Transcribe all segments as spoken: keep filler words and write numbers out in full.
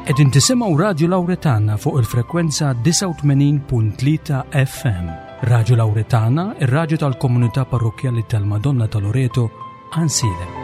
Qegħdin tisimgħu Radio Lauretana fuq il-frekwenza disgħa u tmenin punt tlieta F M. Radio Lauretana, ir-radju tal-komunità parrokkjali tal-Madonna ta' Loreto, Għajnsielem.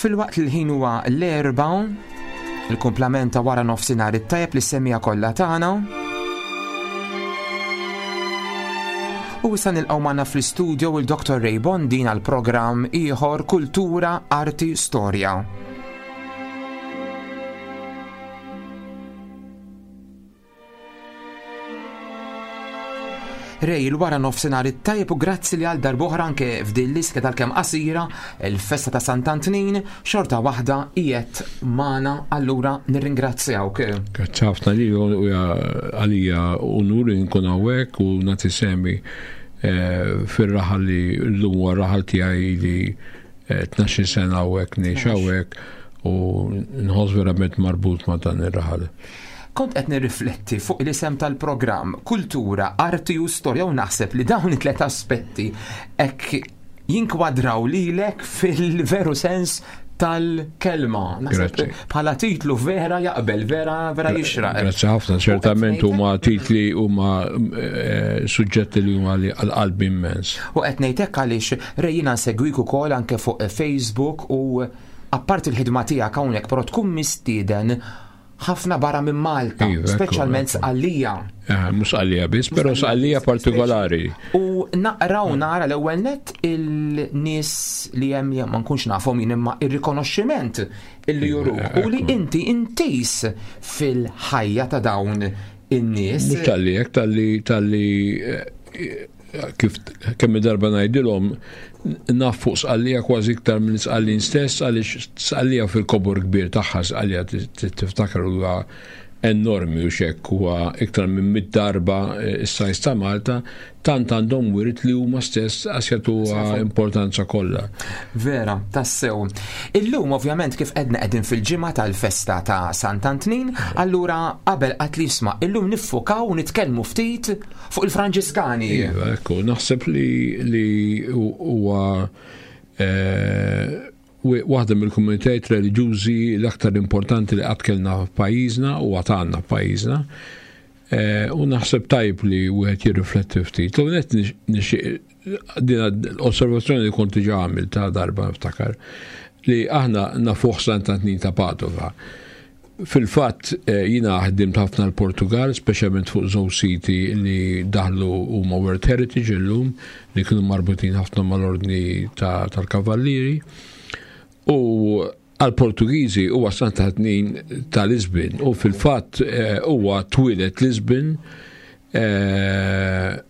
Fil-waqt li l-ħin huwa l-erba, il-kumplament ta' wara nofsinhar it-tajjeb li semmija kollha tagħna. U issa nilqgħu magħna fl-istudio il Doktor Ray Bondin għal programm ieħor Kultura, Arti, Storja. Ray, il-wara nofsinhar it-tajjeb u grazzi li għal darb'oħra anke f'din l-iska tal-kemm qasira, il-festa ta' Sant'Antnin, xorta waħda qiegħed magħna, allura nirringrazzjawk. Grazzi ħafna li u għalija unur li nkun hawnhekk u nagħti semi, eh, fir-raħal li llum huwa r-raħal tiegħi li, eh, tnax-il sena hawnhekk ngħix hawnhekk u nħoss verament marbut ma' dan ir-raħal. Kont qed nirrifletti fuq l-isem tal-programm Kultura, Arti u Storja u naħseb li dawn it-tliet aspetti hekk jinkwadraw lilek fil-veru sens tal-kelma. Naħseb Grazzi. bħala titlu vera jaqbel, vera, vera jixraq. Grazzi ħafna, U qed ċertament ngħidlek huma titli huma, eh, suġġetti li huma li għal-qalbi immens. U qed ngħidlek għaliex Ray jiena nsegwik ukoll anke fuq Facebook u apparti l-ħidma tiegħek hawnhekk però tkun mistieden ħafna barra minn Malta, Iva, ekku, speċjalment ekku. Sqallija. Eh, mhux Sqallija biss, però Sqallija partikolari. U naqra u nara l-ewwel nett il-nies li hemm li ma nkunx nafhom jien imma ir-rikonoxximent illi Iva, juruk u li ekku. inti intis fil-ħajja ta' dawn in-nies. Mhux talli hekk, talli, talli, eh, kif kemm darba ngħidilhom naf fuq Sqallija kważi iktar minn Sqallin stess, għaliex Sqallija fil-kobor kbir tagħha, Sqallija ti-, ti-, tiftakar huwa enormi u xekk huwa iktar minn mitt darba, eh, is-sajz ta' Malta, tant għandhom wirt li huma stess għax jagħtuha Safu. importanza kollha. Vera, tassew. Illum ovvjament kif qedna qegħdin fil-ġimgħa tal-festa ta' Sant'Antnin, allura qabel qatt li jisma' illum niffukaw u nitkellmu ftit fuq il-Franġiskani. Iva, ekku, naħseb li, li huwa, eh, waħda mill-komunitajiet reliġjużi l-aktar importanti li qatt kellna f'pajjiżna u għad għandna f'pajjiżna. Eh, u naħseb tajb li wieħed jirrifletti ftit. L-ewwel nett nix-, nixtieq din l-osservazzjoni li kont diġà għamilt ta' darba niftakar li aħna nafuh Sant'Antnin ta' Padova. Fil-fatt, eh, jiena ħdimt ħafna l-Portugal, speċjalment fuq żewġ siti li daħlu huma World Heritage illum, li kienu marbutin ħafna mal-ordni ta-, tal-Kavallieri. U għal-Portugiżi huwa Sant'Antnin ta' Lisbon u fil-fatt, eh, huwa twieled Lisbon, eh,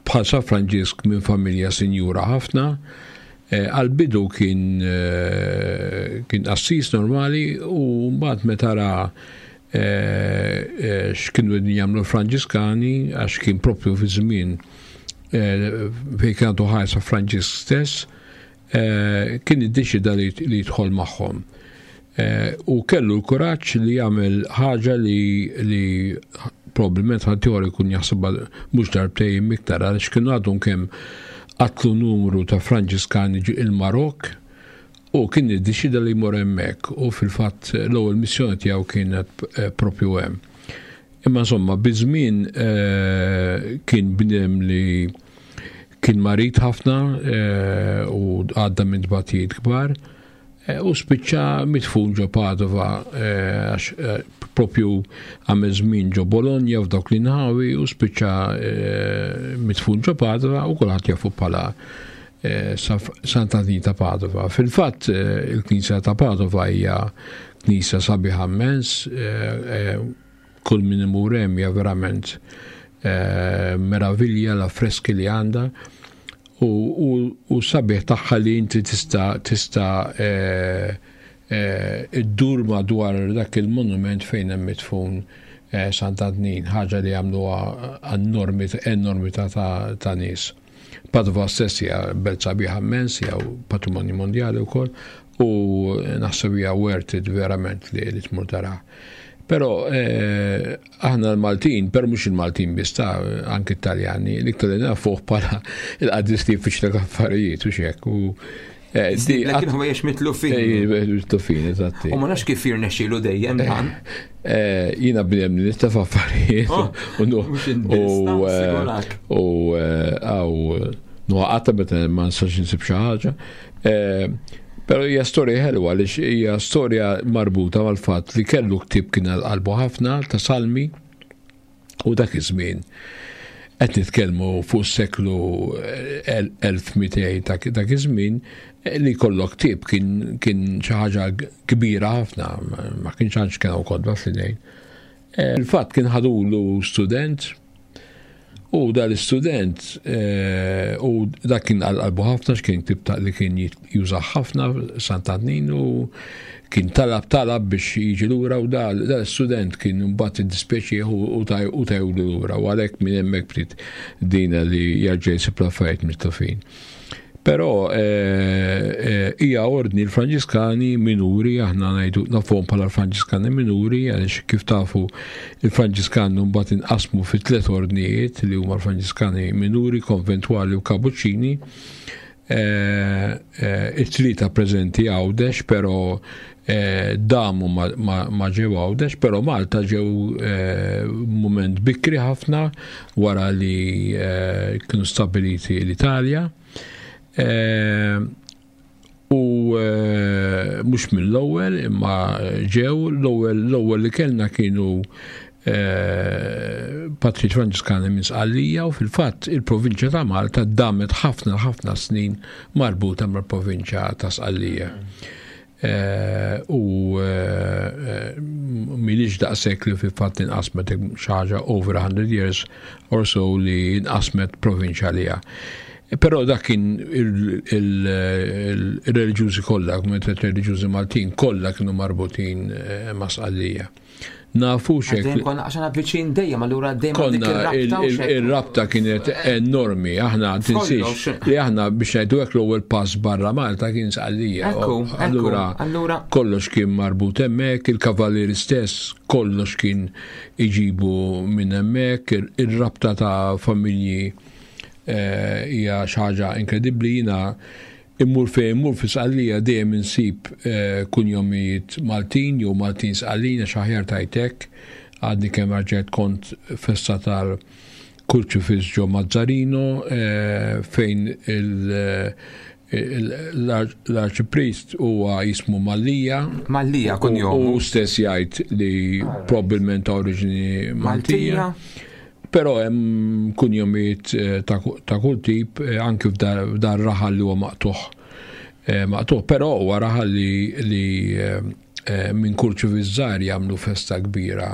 bħal San Franġisk minn familja sinjura ħafna. Eh, għal-bidu kien, eh, kien qassis normali u mbagħad meta ra, eh, eh, x'kienu qegħdin jagħmlu l-Franġiskani, għax kien propju fi żmien, eh, fejn kien għandu ħajja San Franġisk stess, eh, kien iddeċida li, li jidħol magħhom. Eh, u kellu l-kuraġġ li jagħmel ħaġa li, li probabbilment ħaddieħor ikun jaħsibha mhux darbtejn iktar, għaliex kienu għadhom kemm qatlu numru ta' Franġiskani ġi il-Marok u kien iddeċida li jmur hemmhekk u fil-fatt l-ewwel missjoni tiegħu kienet, eh, propju hemm. Imma insomma, biż-żmien, eh, kien bniedem li kien marid ħafna, eh, u għadda minn tbatijiet kbar, eh, u spiċċa midfun ġo Padova, eh, għax, eh, propju għamel żmien ġo Bologna f'dawk l-inħawi u spiċċa, eh, midfun ġo Padova u kulħadd jafu bħala, eh, Sant'Antnin ta' Padova. Fil-fatt, eh, il-Knisja ta' Padova hija knisja sabiħa immens, eh, eh, kull min imur hemm hija verament Meravilja l-affreski li għandha u sabiħ tagħha li inti tista' tista' iddur madwar dak il-monument fejn hemm midfun Sant'Antnin, ħaġa li għamluha enormità ta' nies. Padova stess hija belt sabiħa immens, hija patrimonju mondjali wkoll, u naħseb hija worth it verament li tmur taraha. Però aħna l-Maltin, però mhux il-Maltin biss ta' anke Italjani, l-iktar li nafuh bħala il-qaddis li jfittxlek affarijiet u x'hekk. Lekin ħwejjeġ mitlufin. Mitlufin, eżatti. U ma nafx kif jirnexxielu dejjem dan. Jiena bniedem li nista' f'affarijiet. U għaw nuqata meta ma nistax insib xi ħaġa. Però hija storja ħelwa għaliex hija storja marbuta mal-fatt li kellu ktieb kien għal qalbu ħafna ta' salmi u dak iż-żmien qed nitkellmu fuq seklu elf mitejn dak iż-żmien li jkollok ktieb kien kien xi ħaġa kbira ħafna, ma kienx għandx kien hawn kotba fl-idejn. Il-fatt kien ħadulu student u dal-istudent u dak kien għal qalbu ħafna x'kien ktieb ta' li kien juża ħafna Sant'Antnin u kien talab talab biex jiġi lura u dal-istudent kien mbagħad iddispjaċih u tajlu lura u għalhekk minn hemmhekk bdiet dina li jerġa' jsib l-affarijiet mitlufin. Però hija ordni l-Franġiskani minuri, aħna ngħidu nafuhom bħala l-Franġiskani minuri għaliex kif tafu il-Franġiskani mbagħad inqasmu fi tliet ordnijiet li huma l-Franġiskani minuri, konventwali u kapuċċini. It-tlieta preżenti Għawdex, però damu ma ġew Għawdex, però Malta ġew mument bikri ħafna wara li kienu stabiliti l-Italja. U mhux mill-ewwel imma ġew l-ewwel l-ewwel li kellna kienu Patri Franġiskani minn Sqallija u fil-fatt il-provinċja ta' Malta damet ħafna ħafna snin marbuta mal-provinċja ta' Sqallija. U milix daqshekk li fil-fatt inqasmet xi ħaġa over a hundred years or so li inqasmet provinċja għaliha. Però dak kien il-reliġjużi kollha, komunitajiet reliġjużi Maltin kollha kienu marbutin ma' Sqallija. Nafu xek. Dejjem konna għax aħna viċin dejjem, allura dejjem dik Konna ir-rabta u xek. il-rabta kienet enormi, aħna tinsiex li aħna biex ngħidu hekk l-ewwel pass barra Malta kien Sqallija. Ekku, ekku, Allura allura kollox kien marbut hemmhekk, il-kavallieri stess kollox kien iġibu minn hemmhekk, ir-rabta ta' familji hija xi ħaġa inkredibbli. Jiena immur fejn immur fi Sqallija dejjem insib kunjomijiet Maltin jew Maltin Sqallin għax aħjar tajtek. Għadni kemm rġgħet kont festa tal-Kurċifiss ġo Mazzarino fejn l-arċipriest huwa jismu Mallia. Mallia kunjomu. U stess jgħid li probabbilment ta' oriġini Maltija. Maltija. Però hemm kunjomijiet ta' kull tip, anki f'dar raħal li huwa maqtuħ. Maqtuħ, però huwa raħal li minn Kurċifiss żgħar jagħmlu festa kbira,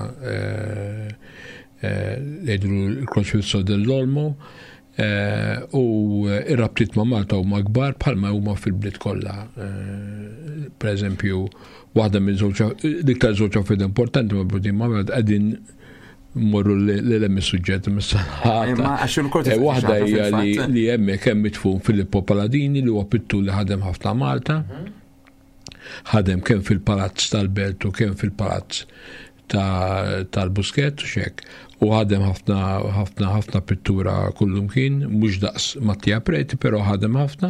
jgħidu l-Crocifisso dell'Olmo, u ir-rabtiet ma' Malta huma kbar bħalma huma fil-bliet kollha. Per eżempju, waħda minn żewġ l-iktar żewġ affarijiet importanti marbutin ma' Malta qegħdin morru l-hemm is-suġġett mis-sanħata. Imma għax il-korti Eh, waħda xaħta hija li fil-fatt. li hemmhekk hemm mitfun Filippo Paladini li huwa pittur li ħadem ħafna Malta. Ħadem kemm fil-Palazz tal-Belt u kemm fil-Palazz tal-Buskett u xek. U ħadem ħafna, ħafna, ħafna pittura kullum kien, mhux daqs Mattia Preti, però ħadem ħafna.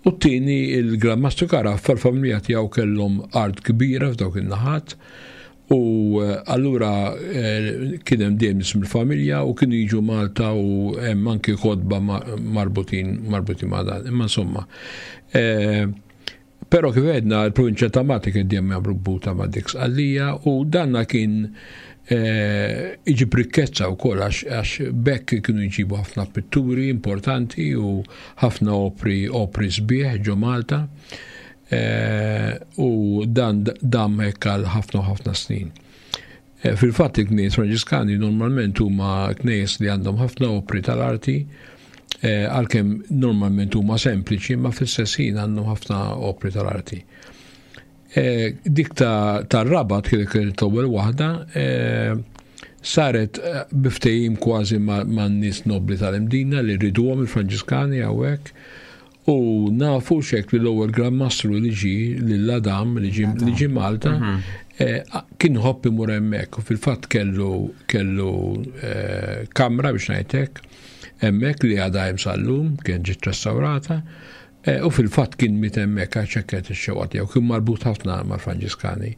U t-tieni il-Gran Mastru Caraffa, l-familja tiegħu kellhom art kbira f'dawk in-naħat. U allura kien hemm dejjem nies mill-familja u kienu jiġu Malta u hemm anki kotba marbutin, marbutin ma' dan. Imma insomma, però kif għedna l-provinċja ta' Malta kien dejjem marbuta ma' dik Sqallija u danna kien iġib rikkezza wkoll għax bekk kienu jġibu ħafna pitturi importanti u ħafna opri, opri sbieħ ġo Malta. U dan dam hekk għal ħafna u ħafna snin. Fil-fatt il-knejjes Franġiskani normalment huma knejjes li għandhom ħafna opri tal-arti, għalkemm normalment huma sempliċi, ma fl-istess ħin għandhom ħafna opri tal-arti. Dik tar-Rabat kienet l-ewwel waħda, saret biftejim kważi man-nies nobli tal-Imdina li riduhom il-Franġiskani hawnhekk, u nafu xek li l-ewwel Gran Mastru li ġie lil Adam li ġie Malta kien iħobb imur hemmhekk, u fil-fatt kellu kellu kamra, biex ngħidlek, hemmhekk li għadha hemm sal-lum, kien ġiet restaurata, u fil-fatt kien miet hemmhekk għax hekk ix-xewqa tiegħu, kien marbut ħafna mal-Franġiskani.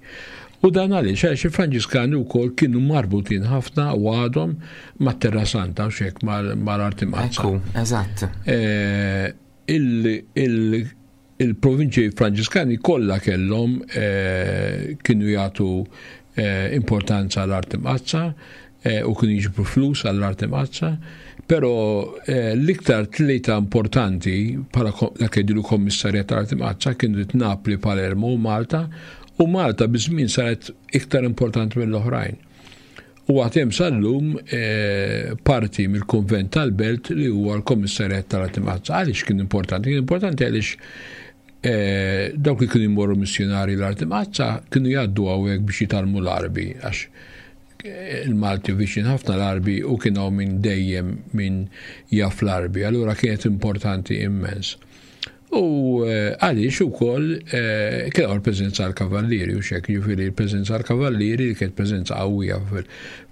U dan għaliex, għaliex il-Franġiskani wkoll kienu marbutin ħafna u għadhom mat-Terra Santa u xek mal-arti Mqaddsa. Ekku, eżatt. Il-provinċi Franġiskani kollha kellhom, kienu jagħtu importanza għall-arti mqaddsa u kienu jiġbru flus għall-arti mqaddsa, però l-iktar tlieta importanti bħala dak jgħidu kommissarjat tal-arti mqaddsa kienu Napli, Palermo u Malta, u Malta biż-żmien saret iktar importanti mill-oħrajn. U għad hemm sal-lum parti mill-konvent tal-Belt li huwa l-kommissarjat tal-arti mqaddsa. Għaliex kien importanti? Kien importanti għaliex dawk li kienu jmorru missjonari l-arti mqaddsa kienu jgħaddu hawnhekk biex jitgħallmu l-Arbi, għax il-Malti viċin ħafna l-Arbi u kien hawn minn dejjem min jaf l-Arbi, allura kienet importanti immens. U għaliex ukoll kien hawn il-preżenza tal-Kavallieri u xek, jiġifieri l-preżenza tal-Kavallieri li kienet preżenza qawwija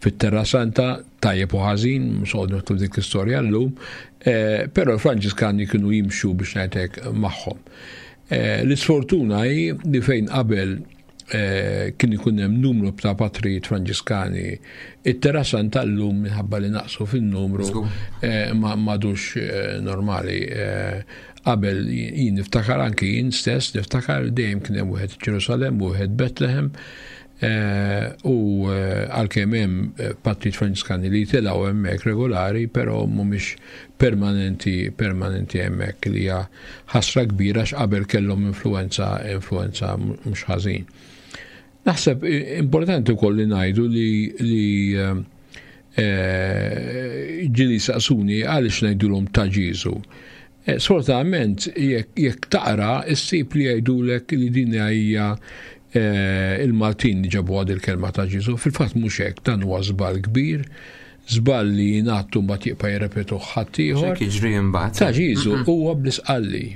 fit-Terra Santa, tajjeb u ħażin, mhux noqogħdu nidħlu dik l-istorja llum, però l-Franġiskani kienu jimxu, biex ngħidlek, magħhom. L-isfortuna hi li fejn qabel kien ikun hemm numru ta' patrijiet Franġiskani, it-Terra Santa llum minħabba li naqsu fin-numru ma m'għadux normali. Qabel jien niftakar, anki jien stess niftakar, dejjem kien hemm wieħed Ġerusalem, wieħed Bethlehem, u għalkemm hemm patrijiet Franġiskani li jitilgħu hemmhekk regolari, però mhumiex permanenti permanenti hemmhekk, li hija ħasra kbira għax qabel kellhom influenza influenza mhux ħażin. Naħseb importanti wkoll li ngħidu li li ġieli saqsuni għaliex ngħidulhom ta' Ġieżu. Sfortunatament jekk taqra issib li jgħidulek li din hija il-Maltin li ġabu għad il-kelma ta' Ġieżu. Fil-fatt mhux hekk, dan huwa żball kbir, żball li jingħattu mbagħad jibqa' jirrepetu ħaddieħor. X'hekk jiġri mbagħad. Ta' Ġieżu huwa bl-Isqalli.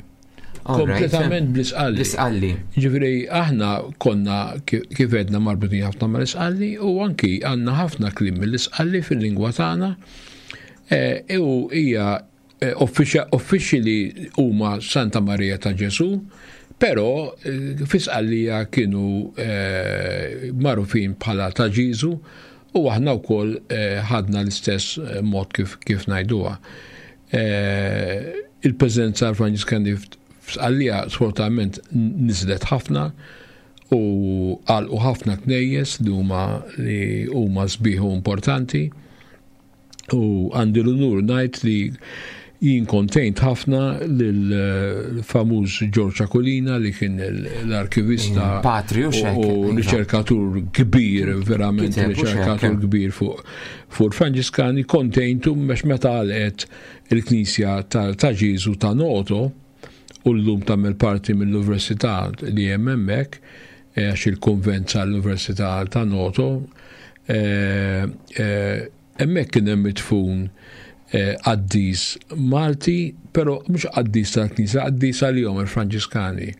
Kompletament bl-Isqalli. Bl-Isqalli. Ġifieri aħna konna, kif għedna, marbutin ħafna mal-Isqalli u anki għandna ħafna kliem mill-Isqalli fil-lingwa tagħna. U hija uffiċjali huma Santa Maria ta' Ġesu, però fi Sqallija kienu magħrufin bħala ta' Ġieżu u aħna wkoll ħadna l-istess mod kif kif ngħiduha. Il-preżenza Franġiskani f'Sqallija sfortunatament niżlet ħafna u għalqu ħafna knejjes li huma li huma sbieħ u importanti, u għandi l-unur ngħid li jien kont għint ħafna lill-famuż George Aquilina li kien l-arkivista Patri u xek, u riċerkatur kbir, verament Kiteb u xek. riċerkatur kbir fuq fuq Franġiskani. Kont għintu biex meta għalqet il-Knisja ta' Ġieżu ta' Noto u llum tagħmel parti mill-Università li hemm hemmhekk, għax il-konvent tal-Università ta' Noto, hemmhekk kien hemm midfun qaddis Malti, però mhux qaddis tal-Knisja, qaddis għalihom il-Franġiskani.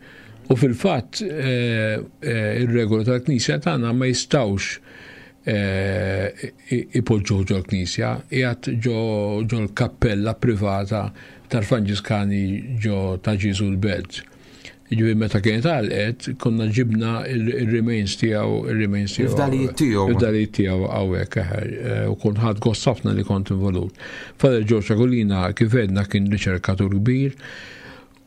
U fil-fatt ir-regola tal-Knisja tagħna ma jistgħux ipoġġuh ġol-Knisja, qiegħed ġo ġol-kappella privata tal-Franġiskani ġo ta' Ġieżu l-Belt. Ġifieri meta kienet għalqet, konna ġibna il-remains tiegħu, il-remains tiegħu. Il-fdalijiet tiegħu. Il-fdalijiet tiegħu hawnhekk, u kont ħadt gost ħafna li kont involut. Father George Aquilina, kif għedna, kien riċerkatur kbir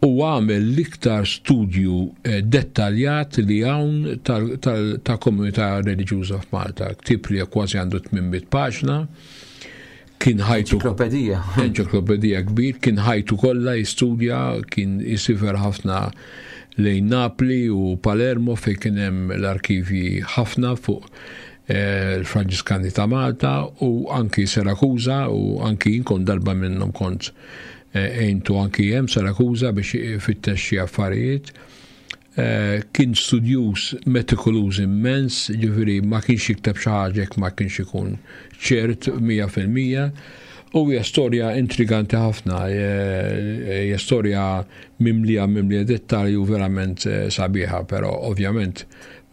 u għamel l-iktar studju dettaljat li hawn ta' komunità reliġjuża f'Malta. Ktieb li kważi għandu tmien mitt paġna. Kien ħajtu Enċiklopedija. Enċiklopedija kbir, kien ħajtu kollha jistudja, kien jisifer ħafna lejn Napli u Palermo fejn kien hemm l-arkivji ħafna fuq l-Franġiskani ta' Malta u anki Sirakuża, u anki jien kont darba minnhom kont għentu anki hemm Sirakuża biex fittex xi affarijiet. Kien studjuż metikoluż immens, ġifieri ma kienx jikteb xi ħaġa jekk ma kienx ikun ċert mija fil-mija. U hija storja intriganti ħafna, hija storja mimlija mimlija dettalji u verament sabiħa, però ovvjament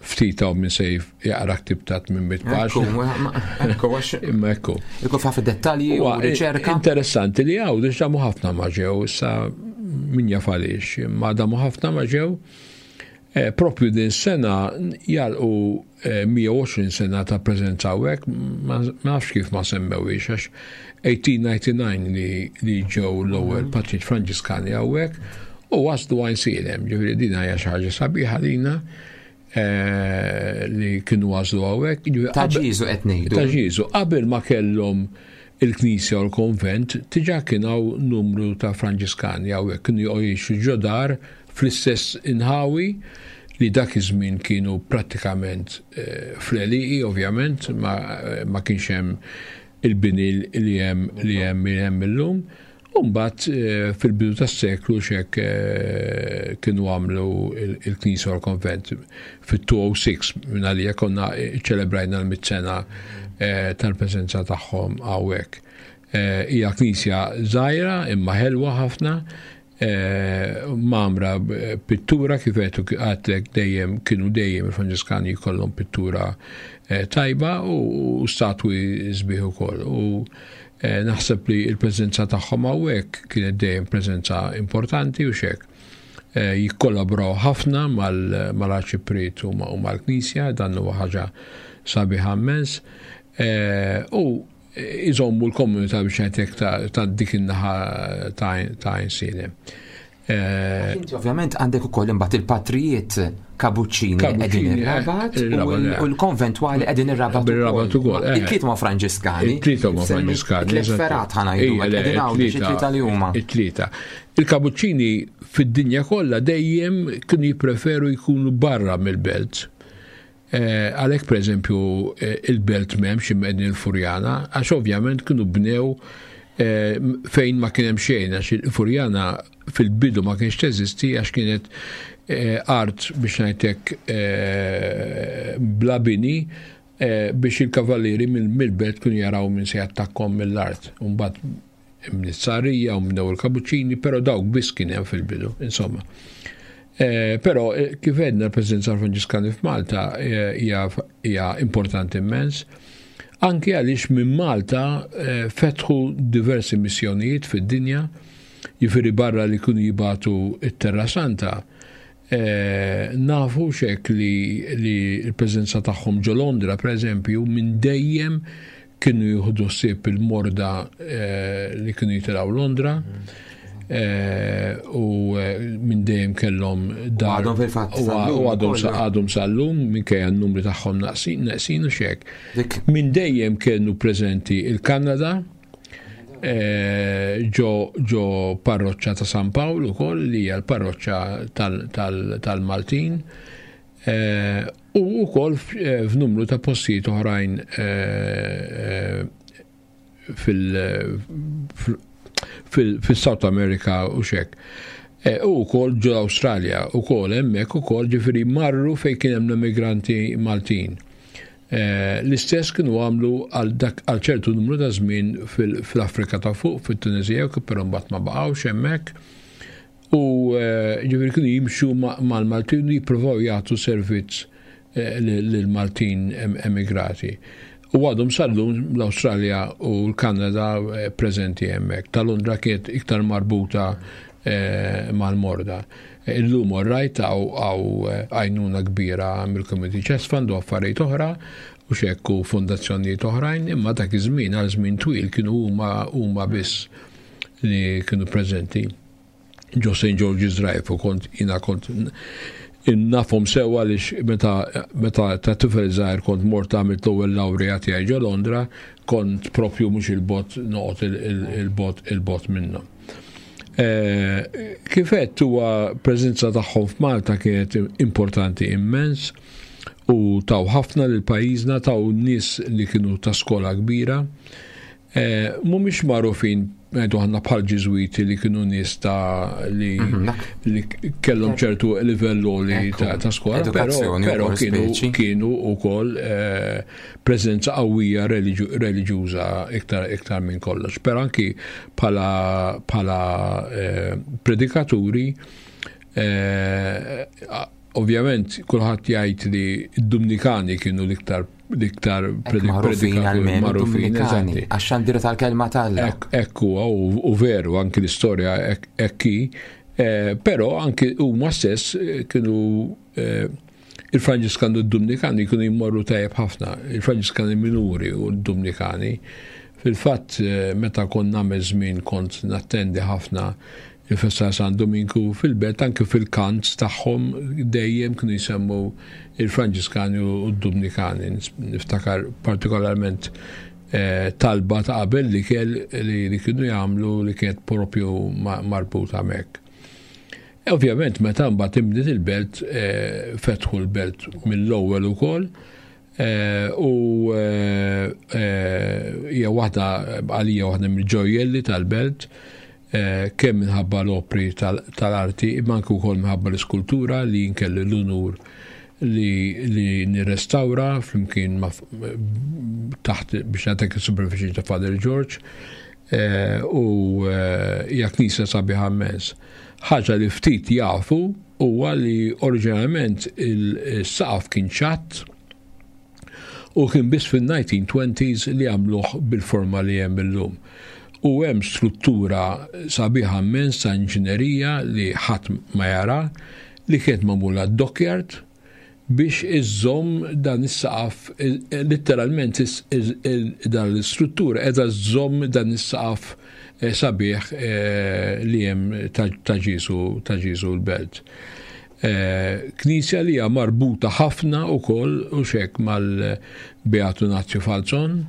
ftit hawn min se jaqra ktib ta' tmien mitt paġna. Ekku, għax Imma ekku. Ikun ħafna dettalji u riċerka. Interessanti li hawn diġà damu ħafna ma ġew, issa min jaf għaliex, imma damu ħafna ma ġew. Propju din sena jalqu mija u għoxrin sena ta' preżenza hawnhekk, ma nafx kif ma semmewhiex, għax eighteen ninety-nine li ġew l-ewwel patriċ Franġiskani hawnhekk u waslu Għajnsielem, ġifieri din hija xi ħaġa sabiħa lina li kienu waslu hawnhekk. Ġifieri Ta' qabel Ġieżu qed ngħidu. Ta' Ġieżu, qabel ma kellhom il-knisja u l-konvent, diġà kien hawn numru ta' Franġiskani hawnhekk, kienu jgħixu ġodar fl-istess inħawi li dak iż-żmien kienu prattikament fl-għelieqi, ovvjament, ma, ma kienx hemm il-bini li hemm, li hemm, li hemm illum. U mbagħad fil-bidu tas-seklu x'hekk kienu għamlu il-knisja u l-konvent fit-two oh six, minn għalija konna ċelebrajna l-mitt sena tal-preżenza tagħhom hawnhekk. Hija knisja żgħira imma ħelwa ħafna, mamra pittura kif qed għadlek dejjem kienu dejjem il-Franġiskani jkollhom pittura tajba u statwi sbieħ ukoll. U naħseb li l-preżenza tagħhom hawnhekk kienet dejjem preżenza importanti u x'hekk. Jikkollaboraw ħafna mal-arċipriet u mal-knisja, dan huwa ħaġa sabiħa immens. U iżommu l-komunità biex ngħidlek ta' dik in-naħa ta' Għajnsielem. Inti ovvjament għandek ukoll imbagħad il-patrijiet Kabuċċini qegħdin Kabuċċini, ir-Rabat eh, u ir-Rabat, l-, eh. u l-konventwali qegħdin ir-Rabat Bir-Rabat ukoll. ukoll, eh. Il-tlieta huma Franġiskani. Il-tlieta huma Semmi Franġiskani, tliet eżatt. ferat ħa ngħidu, Ejja, le, qegħdin hawn biex it-tlieta, it-tlieta li huma. It-tlieta. Il-Kabuċċini fid-dinja kollha dejjem kienu jippreferu jkunu barra mill-belt. Eh, għalhekk pereżempju, eh, il-belt m'hemmx imqegħdin il-Furjana, għax ovvjament kienu bnew, eh, fejn ma kien hemm xejn, għax il-Furjana fil-bidu ma kienx teżisti għax kienet, eh, art biex ngħidlek, eh, bla bini, eh, biex il-kavallieri mill-, mill-belt kienu jaraw minn se jattakkom mill-art. U mbagħad mnizzarija u bnew il-Kabuċċini, però dawk biss kien hemm fil-bidu, insomma. Eh, però, eh, kif għedna l-preżenza Franġiskani f'Malta, eh, hija, hija importanti immens, anke għaliex minn Malta, eh, fetħu diversi missjonijiet fid-dinja, jiġifieri barra li kienu jibatu it-Terra Santa, eh, nafu xek li, li l-preżenza tagħhom ġo Londra, per eżempju, minn dejjem kienu jieħdu ħsieb il-morda, eh, li kienu jitilgħu Londra. Eh, u, eh, minn dejjem kellhom dar. U għadhom fil-fatt U sal-lum u għadhom ukoll. sa-, għadhom sal-lum, minkejja n-numri tagħhom naqsin, naqsin u xek. Dik. Minn dejjem kienu preżenti il-Kanada, eh, ġo, ġo parroċċa ta' San Pawl ukoll, li hija l-parroċċa tal-, tal-, tal-Maltin, eh, u wkoll f-, eh, f'numru ta' postijiet oħrajn, eh, eh, fil-, fil-, fil-, fil-South America u xek. Eh, u wkoll ġo l-Awstralja, u wkoll hemmhekk ukoll, ġifieri marru fejn kien hemm l-immigranti Maltin. Eh, l-istess kienu għamlu għal dak, għal ċertu numru ta' żmien fil-, fl-Afrika ta' fuq, fit-Tunisija, però mbagħad ma baqgħux hemmhekk. U, eh, ġifieri kienu jimxu ma-, mal-Maltin u jippruvaw jagħtu servizz, eh, lil-, lill-Maltin em-, emigrati. U għadhom sal-lum l-Awstralja u l-Kanada, eh, preżenti hemmhekk. Ta' Londra kienet iktar marbuta, eh, mal-morda. Eh, illum orrajt għaw, għaw, eh, għajnuna kbira mill-Community Chest Fund u affarijiet oħra u xekku fondazzjonijiet oħrajn, imma dak iż-żmien għal żmien twil kienu huma, huma biss li kienu preżenti ġo Saint George's Drive, u kont jina kont nafhom sewa għaliex meta, meta ta' tifel żgħir kont mort għamilt l-ewwel lawrija tiegħi ġo Londra, kont propju mhux il-bot noqgħod il-, il-, il-bot, il-bot minnhom. Eh, kif għedt, huwa preżenza tagħhom f'Malta kienet importanti immens. U taw ħafna lil pajjiżna, taw nies li kienu ta' skola kbira. Mhumiex magħrufin ngħidu aħna bħal Ġiżwiti li kienu nies ta' li li kellhom ċertu livell li ta' skola, però kienu kienu wkoll preżenza qawwija reliġjuża iktar iktar minn kollox. Però anki bħala bħala predikaturi, ovvjament kulħadd jgħid li d-Dumnikani kienu l-iktar l-iktar predikaturi magħrufin, għax xandira tal-kelma t'Alla. Ekku, u veru, anki l-istorja ekki, però anki huma stess kienu il-Franġiskani u d-Dumnikani kienu jmorru tajjeb ħafna, il-Franġiskani minuri u d-Dumnikani. Fil-fatt, meta kont nagħmel żmien kont nattendi ħafna il-festa San Dominku fil-belt, anke fil-kant tagħhom dejjem kienu jsemmu il-Franġiskani u d-Dumnikani. Niftakar partikolarment talba ta' qabel li kell li kienu jagħmlu li kienet propju marbuta hemmhekk. Ovvjament meta mbagħad inbdiet il-belt, fetħu l-belt mill-ewwel ukoll, u hija waħda għalija waħda mill-ġojjelli tal-belt, kemm minħabba l-opri tal-arti, imma anke wkoll minħabba l-iskultura li jinkelli l-unur li nirrestawra flimkien ma' taħt biex nagħtek is-supervision ta' Father George, u hija knisja sabiħa immens. Ħaġa li ftit jafu huwa li oriġinarjament il-saqaf kien ċatt u kien biss fin-nineteen twenties li għamluh bil-forma li hemm illum. U hemm struttura sabiħa immens ta' inġinerija li ħadd ma jara li kienet magħmula dockyard biex iżżomm dan is-saqaf, letteralment dan l-istruttura qiegħda żżomm dan is-saqaf sabiħ li hemm ta' Ġieżu, ta' Ġieżu l-belt. Knisja li hija marbuta ħafna wkoll u xek mal-Beatu Nazio Falzon.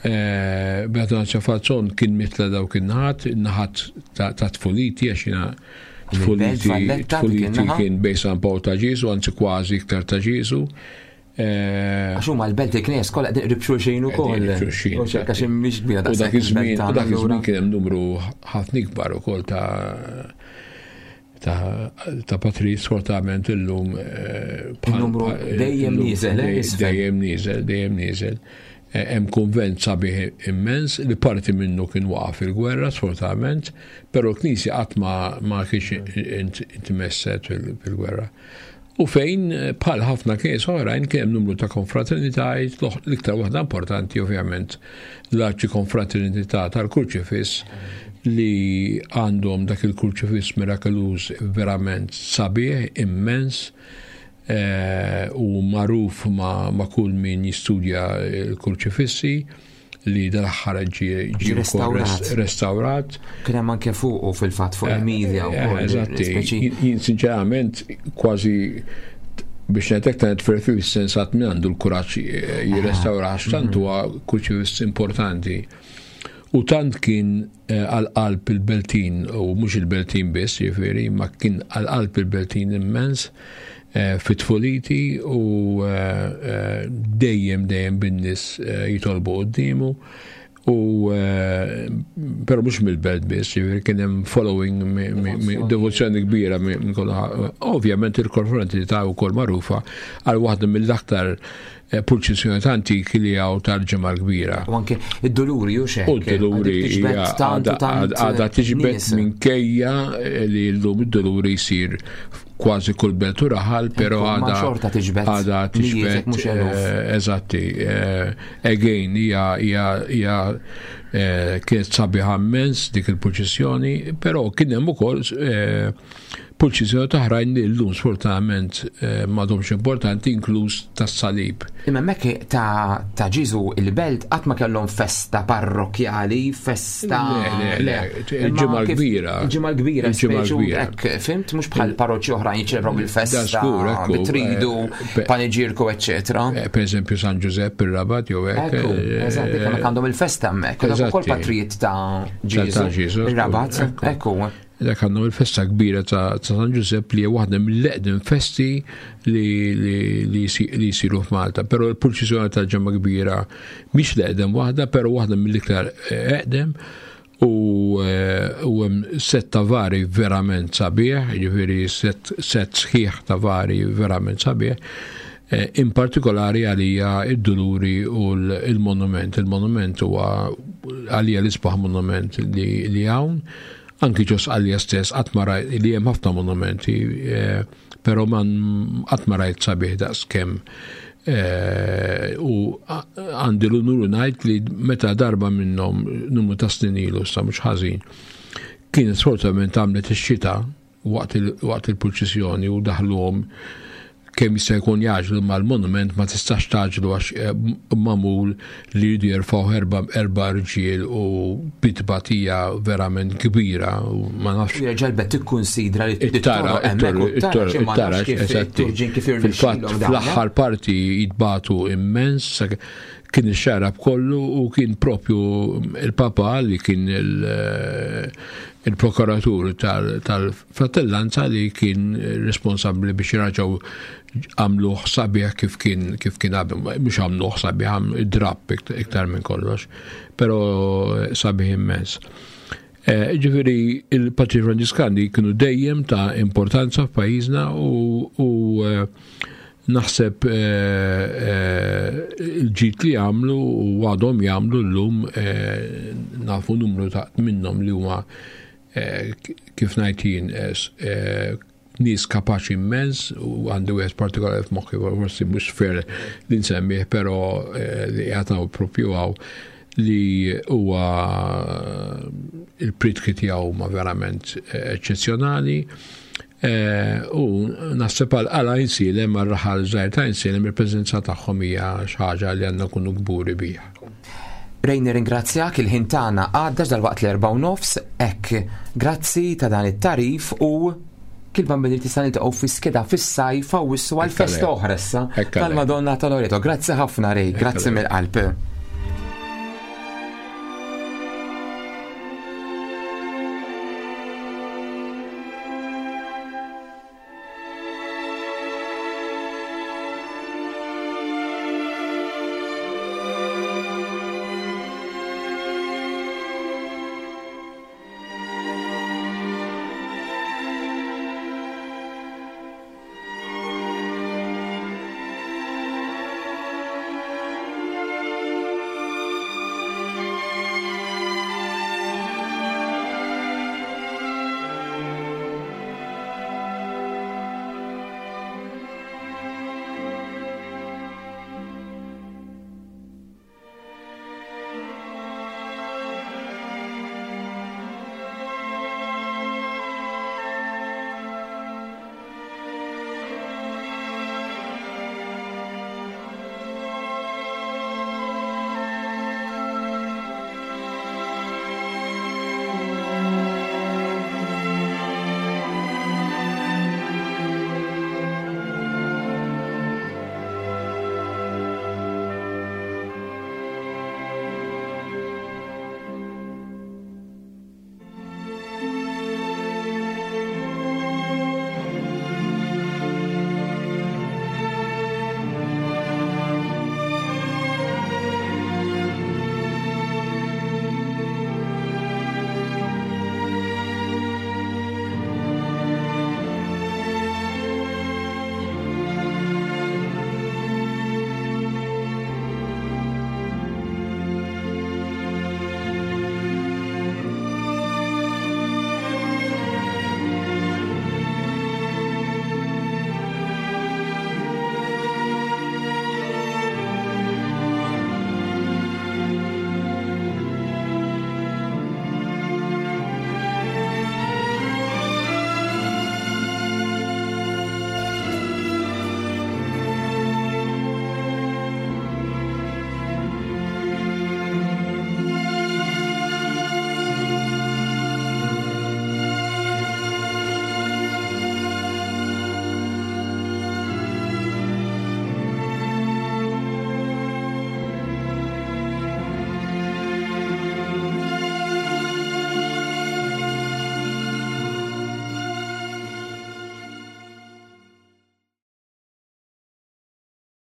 Beatu Nazio Falzon kien mitla dawk in-naħat, in-naħat ta' tfuliti, għax jiena tfuliti kien bejn San Pawl ta' Ġieżu, anzi kważi iktar ta' Ġieżu. Għax huma l-belt il-knies kollha qegħdin qrib xulxin ukoll. Għax mhix kbira daqshekk. U dak iż-żmien, u dak iż-żmien kien hemm numru ħafna ikbar ukoll ta' ta' patri, sfortunatament illum numru dejjem nieżel, dejjem nieżel, dejjem nieżel. Hemm kunvent sabiħ immens li parti minnu kien waqa' fil-gwerra sfortunatament, però l-knisja qatt ma kienx intmesset fil-gwerra. U fejn bħal ħafna knies oħrajn kien hemm numru ta' konfraternitajiet, l-iktar waħda importanti ovvjament l-Arċi Konfraternità tal-Kurċifiss li għandhom dak il-kurċifiss mirakeluż verament sabiħ immens, u magħruf ma' kull min jistudja l-kurċifissi li dal-aħħar ġie restawrat. Kien hemm anke fuq u fil-fatt fuq il-media wkoll. Eżatti. Jien sinċerament kważi biex ngħidlek ta' netferfi fis-sens qatt min għandu l-kuraġġ jirrestawra għax tant huwa kurċifiss importanti. U tant kien għal-qalb il-Beltin, u mhux il-Beltin biss, jiġifieri, ma kien għal-qalb il-Beltin immens fit-tfuliti u dejjem dejjem bin-nies jitolbu quddiemu, u però mhux mill-belt biss, jiġifieri kien hemm following devozzjoni kbira minn kollha. Ovvjament il-konfraternità wkoll magħrufa għal waħda mill-aktar purċissjoni antiki li hawn tal-Ġimgħa l-Kbira. U anke id-Duluri u xejn. U d-Duluri għadha tiġbed minkejja li llum id-Duluri jsir kważi kull belt u raħal, però għadha għadha tiġbed. Eżatti. Again, hija hija kienet sabiħa immens dik il-purċissjoni, però kien hemm ukoll purċissjoni oħrajn li llum sfortunatament m'għadhomx importanti, inkluż tas-salib. Imma hemmhekk ta' Ġieżu il-belt qatt ma kellhom festa parrokjali, festa. Le, il-Ġimgħa l-Kbira. Il-Ġimgħa l-Kbira, hekk, fimt, mhux bħal parroċċi oħrajn jiċċelebraw il-festa, bitridu, paniġierku, eċċetera. Per eżempju San Ġużepp ir-Rabat jew hekk. Eżatt, dik hemmhekk għandhom il-festa hemmhekk, ukoll patrijiet ta' Ġieżu, ir-Rabat, ekku. Dak għandhom il-festa kbira ta' San Ġużepp li hija waħda mill-eqdem festi li jsiru f'Malta. Però l-purċissjoni tal-Ġimgħa Kbira mhix l-eqdem waħda, però waħda mill-iktar eqdem u hemm set ta' vari verament sabiħ, jiġifieri set sħiħ ta' vari verament sabiħ. In partikolari għalija id-Duluri u l-monument. Il-monument huwa għalija l-isbaħ monument li hawn. Anki ġo Sqallija stess qatt ma rajt li hemm ħafna monumenti, però man qatt ma rajt sabiħ daqs kemm. U għandi l-unur ngħid li meta darba minnhom numru ta' snin ilu sa mhux ħażin, kienet sfortunatament għamlet ix-xita waqt il-purċissjoni u daħluhom kemm jista' jkun jgħaġġlu mal-monument ma tistax tgħaġġlu għax magħmul li jridu jerfgħu erba' erba' rġiel u bitbatija verament kbira u ma nafx. Jerġa' bet tikkunsidra li it-tara it-tara kif fil-fatt fl-aħħar parti jitbatu immens, kien ix-xarab kollu u kien propju il-Papa li kien il-prokuratur tal-fratellanza li kien responsabbli biex jraġgħu għamluh sabiħ kif kien kif kien qabel, mhux għamluh sabiħ, id-drapp iktar minn kollox, però sabiħ immens. Ġifieri il-Patri Franġiskani kienu dejjem ta' importanza f'pajjiżna u naħseb il-ġid li għamlu u għadhom jagħmlu llum nafu numru ta' minnhom li huma kif ngħid jien nies kapaċi immens u għandi wieħed partikolari f'moħħi forsi mhux fair li nsemmih però li qiegħed propju hawn li huwa il-pritki tiegħu ma verament eċċezzjonali. U naħseb għal Għajnsielem, għal raħal żgħir ta' Għajnsielem, il-preżenza tagħhom hija xi ħaġa li għandna nkunu kburi biha. Ray, nirringrazzjak, il-ħin tagħna għadda dal-waqt l-erba' u nofs, hekk grazzi ta' dan it-tarif u kilba billi tista' niltaqgħu fi skeda fis-sajf hawn wissu għal festa oħra issa tal-Madonna ta' Loreto. Grazzi ħafna Ray, grazzi mill-qalb.